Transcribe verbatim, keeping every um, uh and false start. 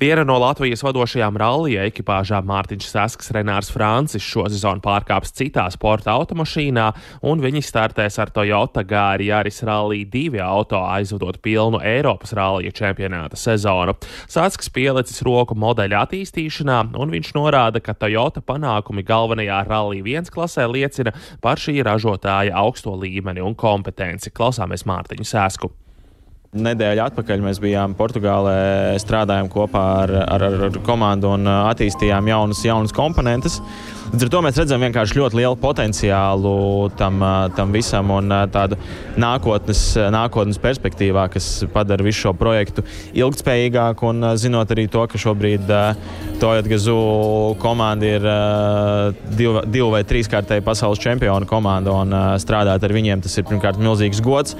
Viena no Latvijas vadošajām rallija ekipāžām Mārtiņš Sasks, Renārs Francis šosezon pārkāps citā sporta automašīnā, un viņi startēs ar Toyota Gāri Yaris Rally divi auto, aizvadot pilnu Eiropas rallija čempionāta sezonu. Sasks pielicis roku modeļa attīstīšanā, un viņš norāda, ka Toyota panākumi galvenajā Rally viens klasē liecina par šī ražotāja augsto līmeni un kompetenci. Klausāmies Mārtiņu Sasku. Nedēļu atpakaļ mēs bijām Portugālē, strādājām kopā ar, ar, ar komandu un attīstījām jaunas, jaunas komponentes. Līdz ar to mēs redzam vienkārši ļoti lielu potenciālu tam, tam visam un tādu nākotnes, nākotnes perspektīvā, kas padara visu šo projektu ilgtspējīgāku, un zinot arī to, ka šobrīd Toyota Gazoo komanda ir divu, divu vai trīskārtēji pasaules čempionu komanda, un strādāt ar viņiem tas ir pirmkārt milzīgs gods.